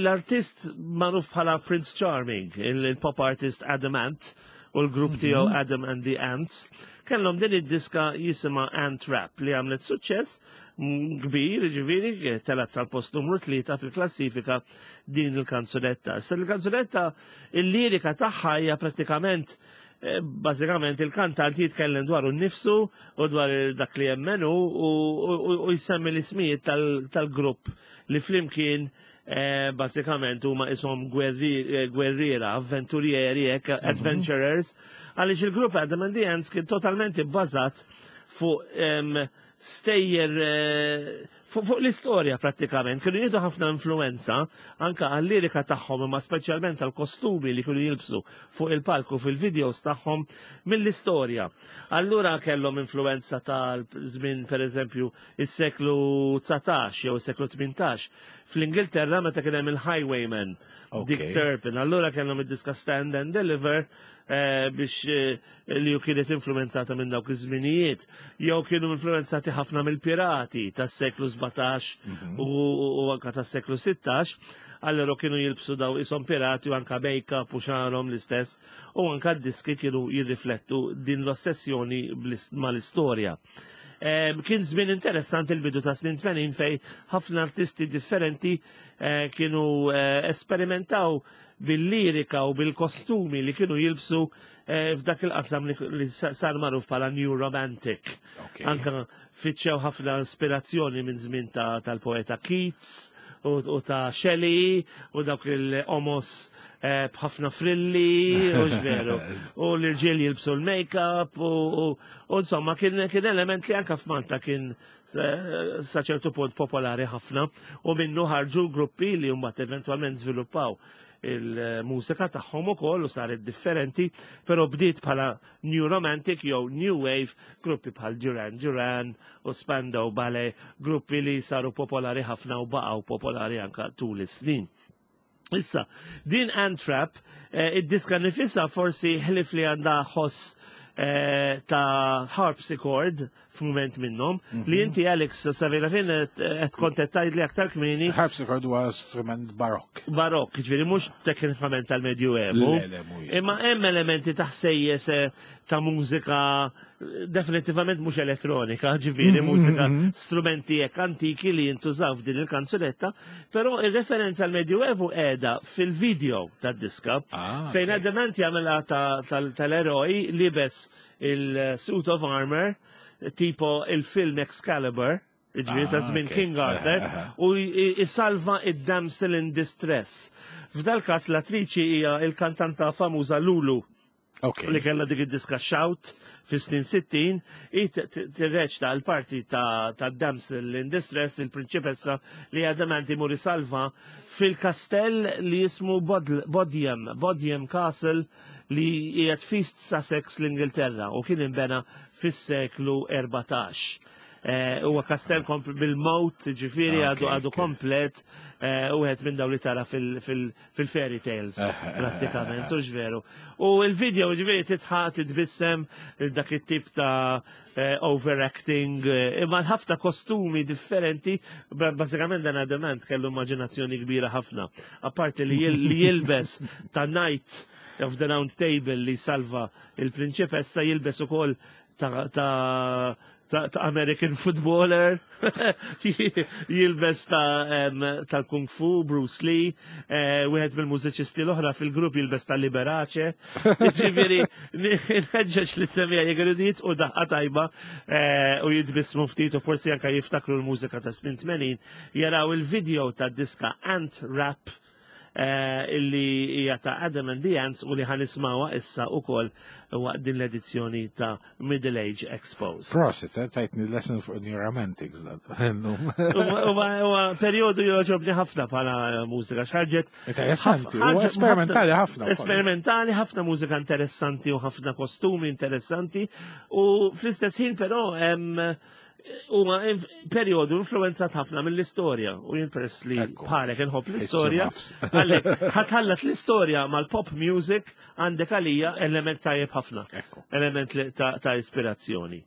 l-artist magħruf bħala Prince Charming, il-pop artist Adam Ant u l-grupp tiegħu Adam and the Ants, kellhom din id-diska jisimha Ant Rap li għamlet suċċess mm, kbir, ġifieri, telat sal-post numru tlieta fil-klassifika din il-kanzunetta. Issa il-kanzunetta, il-lirika tagħha hija prattikament eh, bażikament il-kantant jitkellem dwar nnifsu u dwar dak li jemmenu u, u, u jsemmi l-ismijiet tal-grupp li flimkien eh, bażikament huma ishom eh, gwerriera, avventurieri, mm -hmm. adventurers, għaliex il-grupp Adam and the Ants kien totalment ibbażat fuq stejjer eh, fuq fu l-istorja prattikament. Kienu jieħdu ħafna influenza anka għal-lirika tagħhom, imma speċjalment għal-kostumi li kienu jilbsu fuq il-palku fil-videos tagħhom, mill-istorja. Allura kellhom influenza tal-żmien, pereżempju, is-seklu dsatax jew is-seklu tmintax fl-Ingilterra meta kien hemm il-Highwayman Dick Turpin. Allura kellhom id-diska Stand and Deliver eh, biex eh, li ju kienet influenzata minn dawk iż-żminijiet, jew kienu influenzati ħafna mill-pirati tas-seklu sbatax mhm. u anka tas-seklu sittax, allora kienu jilbsu daw ishom pirati u anka make-up u xagħarhom l-istess u anka d-diski kienu jirriflettu din l-ossessjoni mal-istorja. Kien żmien interessanti il-bidu ta' snin tmenin fej ħafna artisti differenti eh, kienu eh, esperimentaw bil-lirika u bil-kostumi li kienu jilbsu eh, f'dak il-qasam li sar magħruf bħala New Romantic. Anka fittxew ħafna ispirazzjoni minn żmien tal-poeta Keats u ta' Shelley u dawk il-omos eh, b'ħafna frilli, u veru. U l-irġiel jilbsu l-make-up, u insomma kien element li anka f'Malta kien sa ċertu punt popolari ħafna u minnu ħarġu gruppi li mbagħad eventwalment żviluppaw il-mużika tagħhom ukoll u saret differenti, però bdiet bħala New Romantic jew New Wave, gruppi bħal Duran Duran u Spandau Ballet, gruppi li saru popolari ħafna u baqgħu popolari anka tul is-snin. Issa, din Ant Rap, eh, id-diska nifisha forsi ħlif li għandha ħoss eh, ta' harpsichord f'mument minnhom, li inti, Alex, savejna fejn qed kont qed tgħid li aktar kmieni. Harpsichord huwa strument barokk. Barokk, ġifieri mhux teknikament tal-Medjuevu. Le, le, mhuwiex. Imma hemm elementi ta' ħsejjes eh, ta' mużika eh, definitivament mhux elettronika, ġifieri mużika strumenti hekk antiki li jintużaw f'din il-kanzunetta, però ir-referenza għal Medjuevu qiegħda fil-video tad-diska Ah, fejn ok. Adam Ant jagħmilha ta- tal- tal-eroj libes il-suit of armor tipo il-film Excalibur, ġifieri ta' Ah, żmien ok. King Arthur, Aha. u jisalva id-damsel in distress. F'dal każ l-attriċi hija il-kantanta famuża Lulu Ok. li kellha dik id-diska Shout fis-snin sittin, i tirreċta l-parti ta' ta' damsel in distress, il-prinċipessa li Adam Ant imur isalva fil-kastell li jismu Bod- Bodiam, Bodiam Castle, li qiegħed f'East Sussex, l-Ingilterra, u kien imbena fis-seklu erbatax. Eh, Huwa kastell kompl- bil-moat, ġifieri Ah, għadu ok, għadu ok. komplet, eh, u għed minn daw li tara fil-fairy tales, Eh, eh, prattikament, u veru. U il-video ġifieri titħaq titbissem dak it-tip ta' eh, overacting, eh, imma ħafna kostumi differenti, ba- bażikament dan Adam Ant kellu immaġinazzjoni kbira ħafna. Apparti li jil- li jilbes ta' Knight of the Round Table li salva il-prinċipessa, jilbes ukoll ta' ta' ta', ta American footballer, jilbes ta' em, tal-Kung Fu, Bruce Lee, eh, wieħed mill-mużiċisti l-oħra fil-grupp jilbes ta' Liberace. Ġifieri, nħeġġeġ li semija jgħidu u daħqa tajba eh, u jitbissmu ftit u forsi anka jiftakru l-mużika ta' snin tmenin, jaraw il-video ta' diska Ant Rap eh, illi hija ta' Adam and the Ants u li ħa nisimgħuha issa ukoll waqt din l-edizzjoni ta' Middle Age Exposed. Prosit, eh, tajtni lesson fuq New Romantics dan. Illum. Huwa huwa perjodu jogħġobni ħafna bħala mużika x'ħarġet. Interessanti, ħaf- u esperimentali ħafna wkoll. Esperimentali, ħafna mużika interessanti u ħafna kostumi interessanti u fl-istess ħin però hemm Huwa perjodu influenzat ħafna mill-istorja u jien peress li bħalek inħobb l-istorja. Għalhekk ħa tħallat l-istorja mal-pop music, għandek għalija element tajjeb ħafna. Element ta' ispirazzjoni.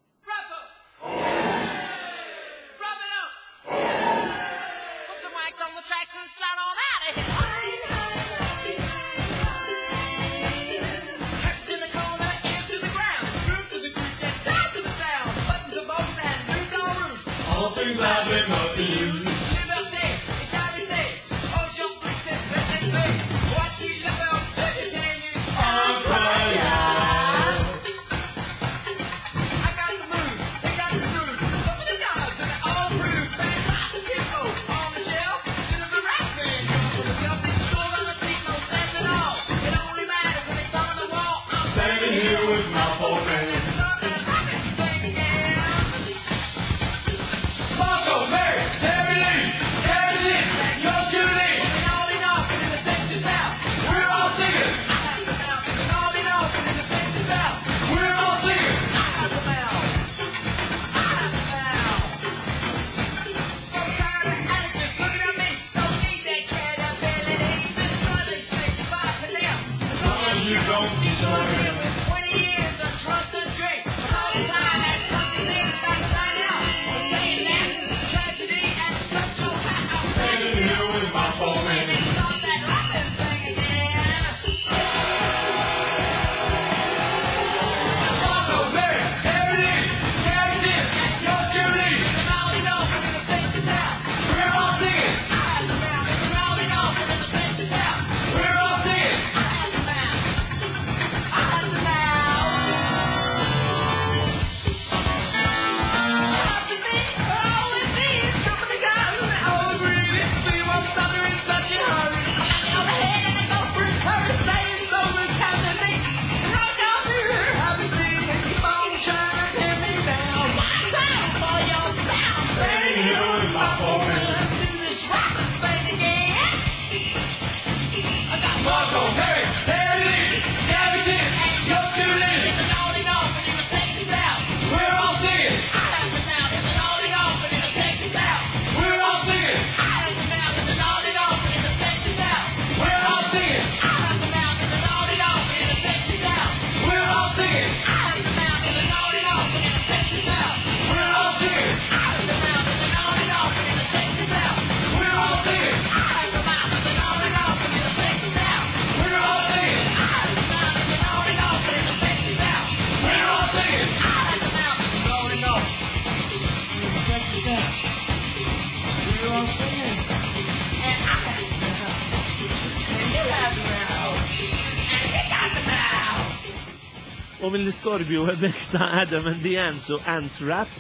U mill-istorbju hemmhekk ta' Adam and the Ants u Ant Rap,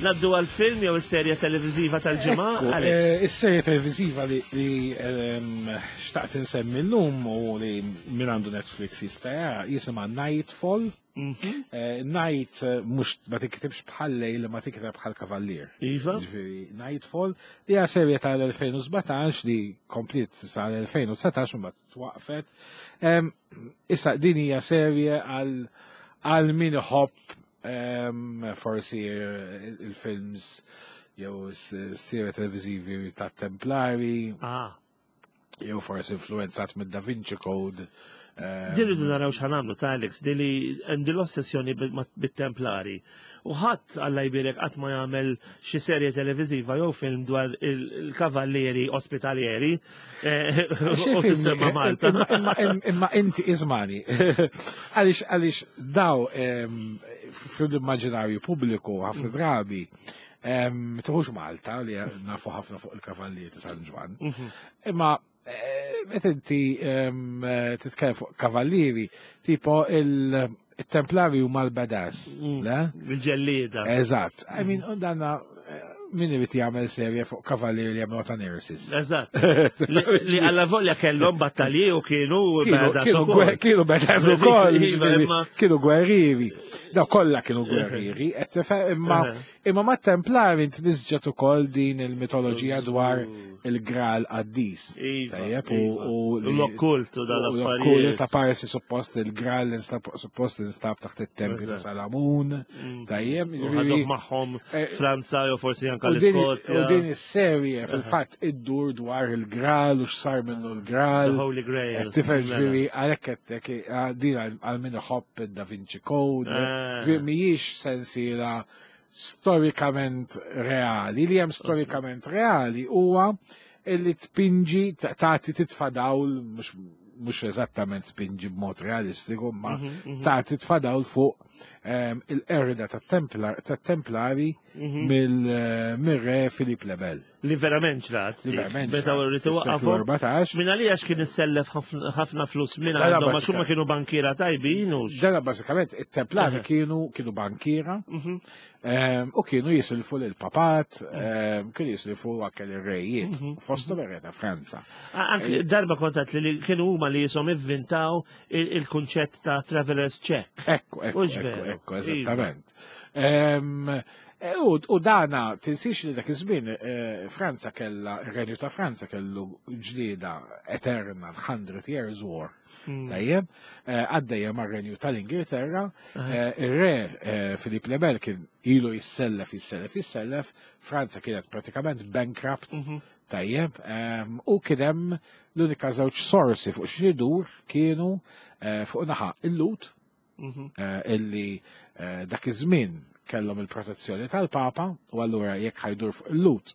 naddu għal-film jew is-serje televiżiva tal-ġimgħa. Is-serje televiżiva li xtaqt insemmi llum u li min għandu Netflix jista' jara jisimha Nightfall. Night mhux ma tiktibx bħal lejl, ma tikteb bħal kavallier. Iva. Ġifieri Nightfall li hija serje tal-elfejn u sbatax li komplet sal-elfejn u dsatax u mbagħad twaqfet. Issa din hija serje għal min iħobb forsi il-films jew s-serje televiżivi tat-Templari. Jew forsi influenzat mid Da Vinci Code. Din rridu naraw x'ħanamlu ta' Alex, din li għandi l-ossessjoni bit-Templari. U ħadd Alla jbierek qatt ma jagħmel xi serje televiżiva jew film dwar il-kavallieri ospitalieri u tissemma Malta. Imma inti iżmani. Għaliex għaliex daw fl-immaġinarju pubbliku ħafna drabi tħux Malta li nafu ħafna fuq il-kavallieri ta' San Ġwann. Imma meta inti titkellem fuq kavallieri, tipo il-Templari huma l-badass, le? Il-ġellieda. Eżatt. I mean, danna Min irid jagħmel serje fuq kavallieri li jagħmlu ta' nurses? Eżatt. Li alla volja kellhom battalji u kienu kienu kienu badass ukoll. Iva, kienu gwerrieri. Daw kollha kienu gwerrieri, imma imma mat-Templari tnisġet ukoll din il-mitoloġija dwar il-Graal qaddis. Iva, Tajjeb u l-okkult u dal-affarijiet. Ta' parsi suppost il-Graal suppost instab taħt it-tempju ta' Salamun. Mm. Tajjeb. U ħadhom magħhom eh, Franza jew forsi anke l-Iskozja. U din is-serje fil-fatt iddur dwar il-Graal u x'sar minnu l-Graal. The Holy Grail. Tifhem ġifieri għalhekk qedtek eh, din għal min iħobb id-Da Vinci Code. Eh. Mhijiex sensiela storikament reali. Li hemm storikament reali huwa illi tpinġi tagħti titfa' dawl mhux eżattament tpinġi b'mod realistiku, ma mhm, mhm. tagħti titfa' dawl fuq ehm, il-qerda tat-Templari mhm. eh, mir-re Filip le Bel. Li verament ġrat. Li verament ġrat. Meta rritu waqafu. Minn għalija kien issellef ħafna flus minn għandhom għax huma kienu bankiera tajbin u. Dana bażikament it-Templari kienu kienu bankiera mhm. ehm, u kienu jisilfu lil papat, ehm, kienu jisilfu anke lir-rejiet, mhm. fosthom ir-re ta' Franza. Anke eh, darba kontat li kienu huma li jisom ivvintaw il-kunċett ta' traveler's check. Ekku, ekku, ekku, ekku, eżattament. Ehm, E, u dana, tinsiex li dak iż-żmien e, Franza kella, ir-Renju ta' Franza kellu ġlieda eterna, Hundred Years War. Hmm. Tajjeb, e, għaddejja mar-Renju tal-Ingilterra, ir-re Filip le Bel kien ilu jissellef, jissellef, jissellef, Franza kienet pratikament bankrupt, mhm. tajjeb, u kien hemm l-unika żewġ sorsi fuq xi kienu fuq naħa il-Lhud, mhm. illi dak iż-żmien kellhom il-protezzjoni tal-Papa u allura jekk ħa jdur fuq il-Lhud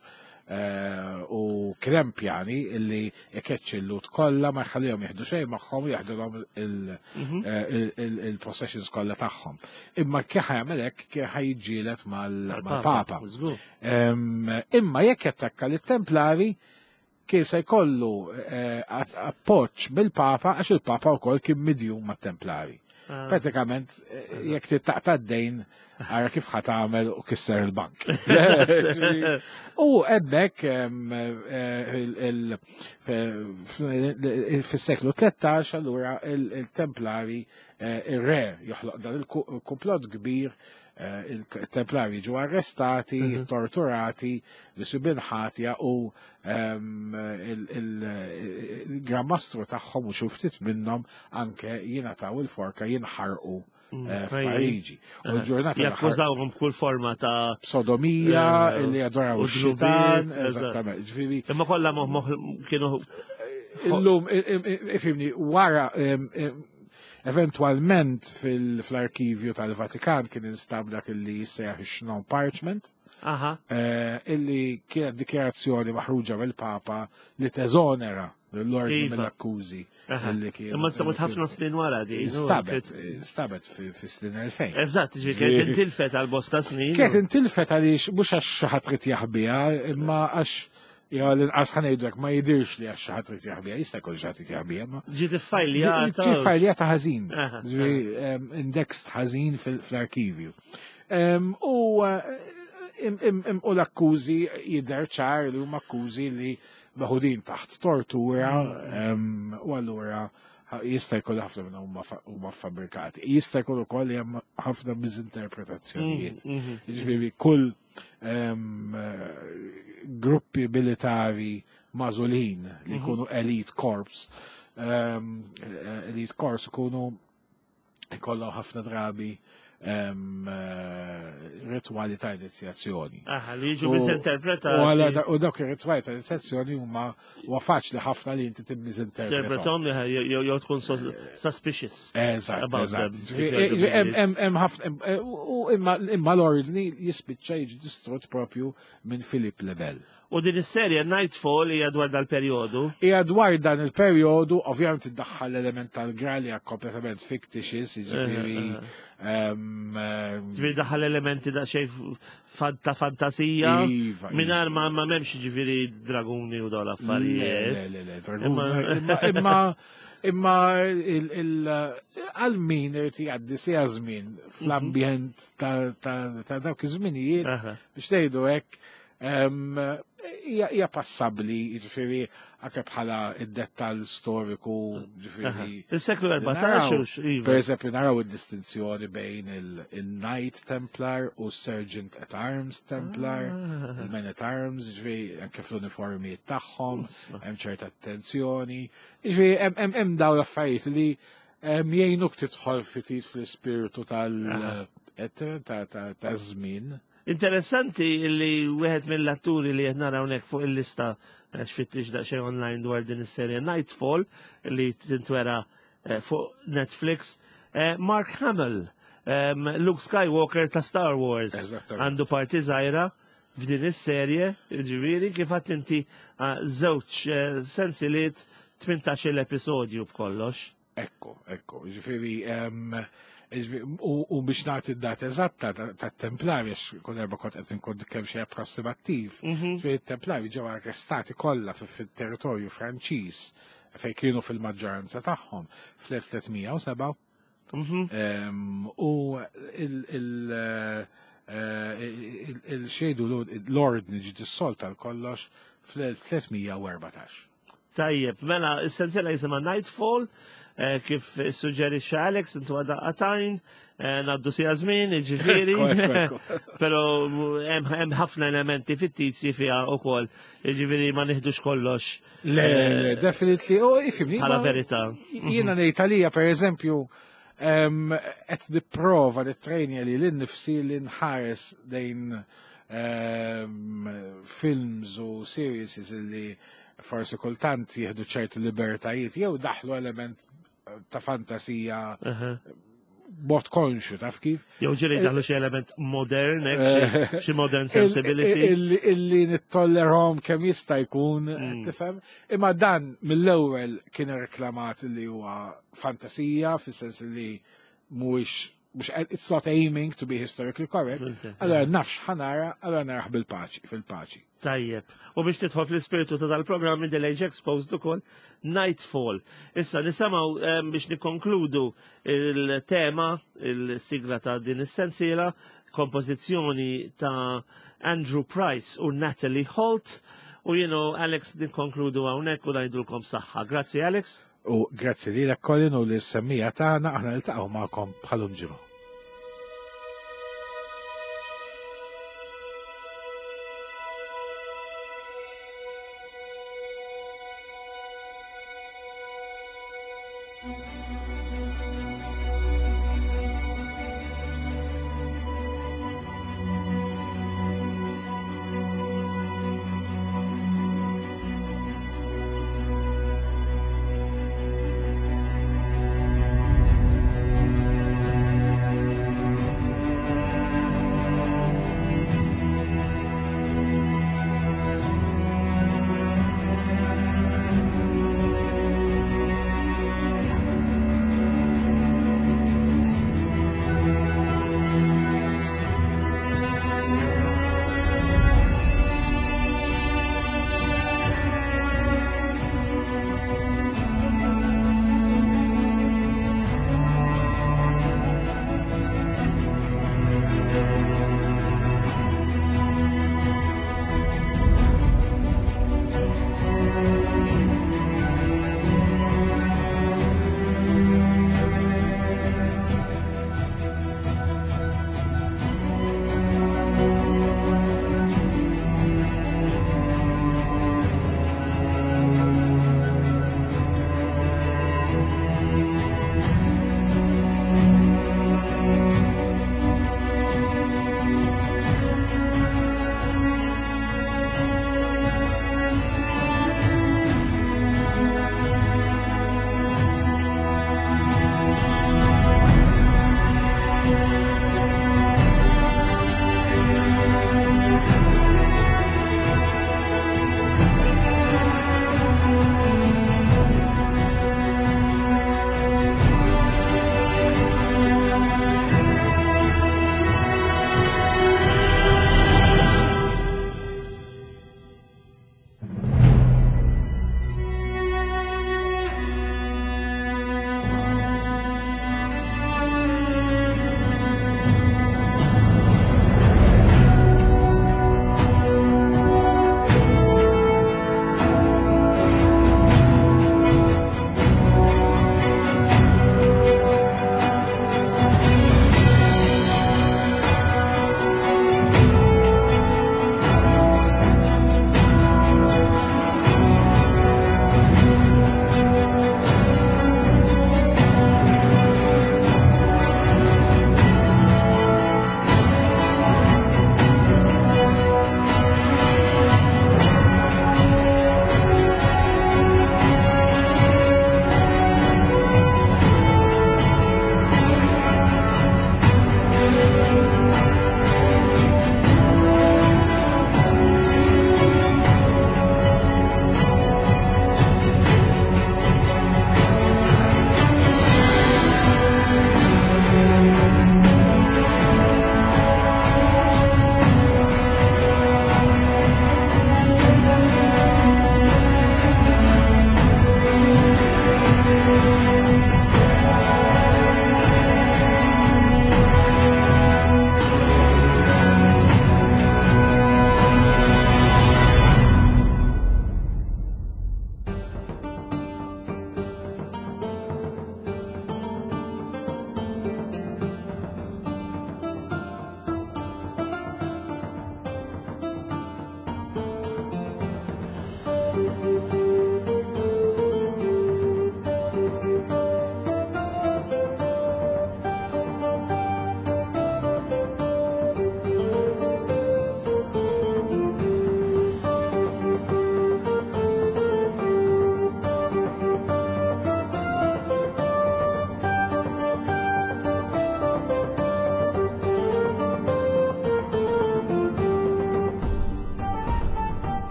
eh, u kien hemm pjani illi ikeċċi l-Lhud kollha ma jħallihom jieħdu xejn magħhom u jaħdulhom mhm. eh, il-possessions kollha tagħhom. Imma kif jagħmel hekk kien ħa jiġġieled mal-Papa. Imma jekk jattakka lit-Templari kien se jkollu eh, appoġġ mill-Papa għax il-Papa wkoll kien midjun mat-Templari. Ah. Pratikament, eh, jekk tittaqta' d-dejn, ara kif ħa tagħmel u kisser il-bank. U hemmhekk eh, fis-seklu tlettax allura il-Templari ir-re joħloq dan il-komplott kbir Eh, il-Templari ġu arrestati, mhm. torturati, li ħatja u ehm, il-Gran Mastru tagħhom u xi ftit minnhom anke jingħataw il-forka jinħarqu mm, eh, f'Pariġi. U l-ġurnata jakkużawhom b'kull forma ta' sodomija, eh, illi jadoraw ix-xitan, eżattament. Ġifieri. Imma kollha moħ kienu illum ifhimni wara eventualment fil-arkivju tal-Vatikan kien instab dak illi jissejjaħ ix-Chinon Parchment. Aha. Eh, illi kienet dikjarazzjoni maħruġa mill-Papa li teżonera l-ordni Iva. mill-akkużi. illi kienu. Imma nstabet ħafna snin wara di. Instabet, instabet fi snin elfejn. Eżatt, ġi kienet intilfet għal bosta snin. Kienet intilfet għaliex mhux għax xi ħadd trid jaħbiha, imma għax jew l-inqas ħa ngħidlek ma jidirx li għax xi ħadd trid jaħbiha, jista' jkun xi ħadd trid jaħbiha, ma Ġiet iffajljata. Ġiet fajljata ħażin, Aha, ġifieri, em, indexed ħażin fil- fl-arkivju. Em, U eh, im- im- im- u l-akkużi jidher ċar li huma akkużi li meħudin taħt tortura em, u allura ha- jista' jkun ħafna minnhom huma fa- huma fabbrikati. Jista' jkun ukoll li hemm ħafna miżinterpretazzjonijiet. Mhm. Ġifieri kull em, eh, gruppi militari magħżulin li jkunu elite corps, em, eh, elite corps ikunu ikollhom ħafna drabi em, eh, ritwali ta' inizjazzjoni. Aha, li jiġu U- misinterpretati. U għala u dawk ir-ritwali ta' inizjazzjoni huma huwa faċli ħafna li inti timmisinterpretom. Interpretom jew jew tkun sus- suspicious. Eżatt, About eżatt. them, Ġifieri, Hemm hemm- hemm ħafna hemm- eh, u imma imma l-ordni jispiċċa jiġi distrott propju minn Philip le Bel. U din is-serje Knightfall hija dwar dal-perjodu. Hija dwar dan il-perjodu, ovvjament iddaħħal l-element tal-Graal hija kompletament fictitious, jiġifieri em, em, Ġifieri daħal elementi da xejn ta' fantasija. Iva, Mingħajr ma ma m'hemmx ġifieri draguni u dawn Le, l-affarijiet. le, le, le, dragun. Imma- Imma, imma, imma il, il, għal min irid jgħaddi siegħa żmien fl-ambjent ta' ta' ta' dawk iż-żminijiet Aha. biex tgħidu hekk Em, Hija hija passabbli, jiġifieri anke bħala id-dettall storiku, jiġifieri. Il-seklu Naraw, erbatax, iva. Per eżempju, naraw id-distinzjoni bejn il- il-Knight Templar u Sergeant at Arms Templar, Ah. il-Men at Arms, ġifieri, anke fl-uniformijiet tagħhom, Isma. hemm ċerta attenzjoni. Ġifieri, hemm- hemm hemm dawn l-affarijiet li em, jgħinuk tidħol ftit fl-ispirtu tal et- ta' ta' ta' żmien. Interessanti li wieħed mill-atturi li qed nara hawnhekk fuq il-lista, eh, x'fittix daqsxejn online dwar din is-serje Knightfall li tintwera eh, fuq Netflix, eh, Mark Hamill, em, Luke Skywalker ta' Star Wars, Eżattament. għandu parti żgħira f'din is-serje, ġifieri kif għedt inti, ah, żewġ eh, sensiliet, tmintax-il episodju b'kollox. Ekku, ekku, ġifieri, em, ġifieri, u, u biex nagħti d-data eżatta ta' ta' Templari, għax kull darba kont qed inkun kemm xejn approssimattiv. Mhm. Ġifieri Templari ġew arrestati kollha fi- fit-territorju Franċiż fejn kienu fil-maġġoranza tagħhom fl-elf tliet mija u sebgħa. Mhm. Em, u il- il- eh, il- il-xejdu l-ordni ġi dissolta l-kollox fl-elf tliet mija u erbatax. Tajjeb, mela, is-sensiela jisimha Knightfall, eh, kif suġġerixxa Alex, intu għada qatajn, eh, ngħaddu sija żmien, ġifieri. Ekku, ekku, ekku. Pero hemm hemm ħafna elementi fittizji fiha wkoll, ġifieri ma nieħdux kollox Le, le, definitely, u ifhimni. bħala ma- verità. Jiena ngħid għalija, per eżempju, em, qed nipprova nittrejnja lili nnifsi li nħares lejn em, films u series li forsi kultant jieħdu ċerti libertajiet jew daħlu element ta' fantasija Aha. b'mod konxju, taf kif? Jew ġieli daħlu xi element modern, hekk, xi- xi modern sensibility. Illi illi nittollerahom kemm jista' jkun, Mm. tifhem? Imma dan mill-ewwel kien reklamat li huwa fantasija, fis-sens li mhuwiex mhux it's not aiming to be historically correct. Allora nafx ħa nara, allora narah bil-paċi, fil-paċi. Tajjeb. U biex tidħol fl-ispiritu ta' dal-programm Middle Age Exposed ukoll Knightfall. Issa nisimgħu em, biex nikkonkludu il-tema, il-sigla ta' din is-sensiela, kompożizzjoni ta' Andrew Price u Natalie Holt. U jiena Alex nikkonkludu hawnhekk u ngħidulkom saħħa. Grazzi, Alex. U grazzi lilek, Colin, u lis-semmiegħa tagħna, aħna niltaqgħu magħkom bħal-lum ġimgħa.